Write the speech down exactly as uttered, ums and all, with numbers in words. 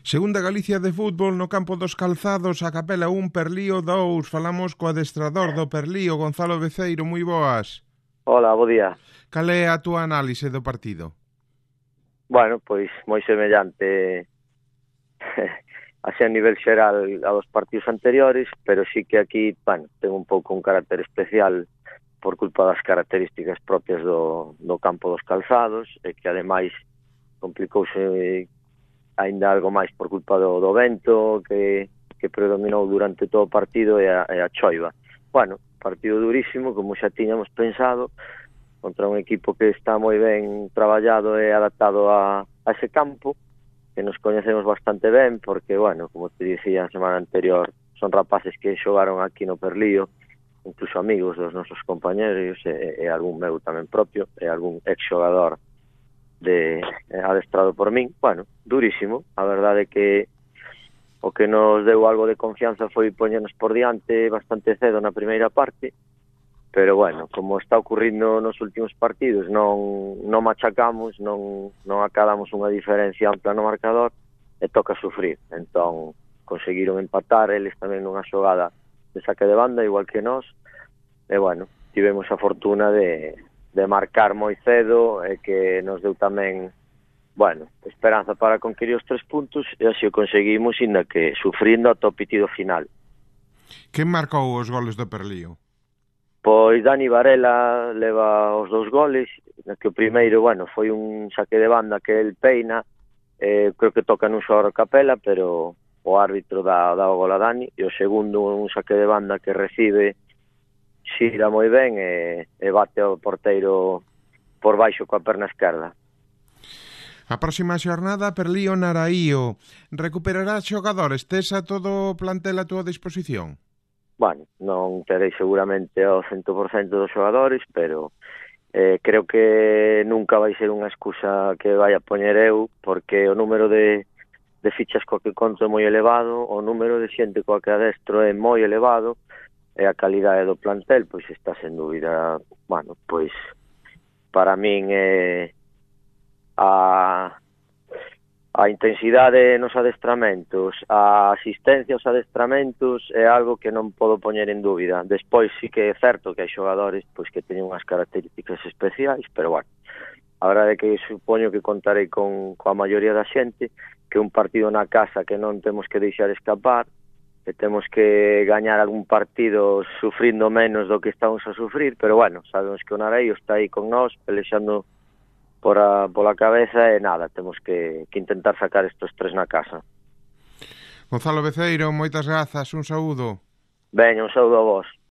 Segunda Galicia de fútbol no campo dos Calzados, a Capela un, Perlío dous. Falamos co adestrador do Perlío, Gonzalo Beceiro, moi boas. Hola, bo día. Cal é a túa análise do partido? Bueno, pois moi semellante así a nivel xeral a dos partidos anteriores, pero sí que aquí, bueno, ten un pouco un carácter especial por culpa das características propias do, do campo dos Calzados, e que ademais complicouse ainda algo máis por culpa do, do vento que, que predominou durante todo o partido e a, e a choiva. Bueno, partido durísimo, como xa tiñamos pensado, contra un equipo que está moi ben traballado e adaptado a, a ese campo, que nos coñecemos bastante ben, porque, bueno, como te dicía a semana anterior, son rapaces que xogaron aquí no Perlío, incluso amigos dos nosos compañeros, e, e algún meu tamén propio, e algún ex-xogador de adestrado por min. Bueno, durísimo, a verdade é que o que nos deu algo de confianza foi poñernos por diante bastante cedo na primeira parte, pero bueno, como está ocurrindo nos últimos partidos, non, non machacamos, non, non acadamos unha diferencia ampla no marcador, e toca sufrir. Entón, conseguiron empatar eles tamén nunha xogada de saque de banda, igual que nós, e bueno, tivemos a fortuna de de marcar moi cedo e que nos deu tamén, bueno, esperanza para conquistar os tres puntos, e así o conseguimos, inda que sufrindo ata o pitido final. Quen marcou os goles do Perlío? Pois Dani Varela leva os dous goles, que o primeiro, bueno, foi un saque de banda que el peina, eh, creo que toca nun xogador Capela, pero o árbitro dá, dá o gol a Dani, e o segundo un saque de banda que recibe xira moi ben e, e bate ao porteiro por baixo coa perna esquerda. A próxima xornada, Perlío Naraío. Recuperará xogadores? Tes a todo o plantel a túa disposición? Bueno, non terei seguramente ao cento por cento dos xogadores, pero eh, creo que nunca vai ser unha excusa que vai a poñer eu, porque o número de, de fichas coa que conto é moi elevado, o número de xente coa que adestro é moi elevado, e a calidade do plantel, pois está sen dúbida, bueno, pois para min é a, a intensidade nos adestramentos, a asistencia aos adestramentos é algo que non podo poñer en dúbida. Despois sí que é certo que hai xogadores pois que teñen unhas características especiais, pero bueno, a verdade é que supoño que contarei con coa maioría da xente, que un partido na casa que non temos que deixar escapar, que temos que gañar algún partido sufrindo menos do que estamos a sufrir, pero bueno, sabemos que o Naraío está aí con nós, pelexando por a, pola cabeza, e nada, temos que, que intentar sacar estos tres na casa. Gonzalo Beceiro, moitas grazas, un saúdo. Veña, un saúdo a vos.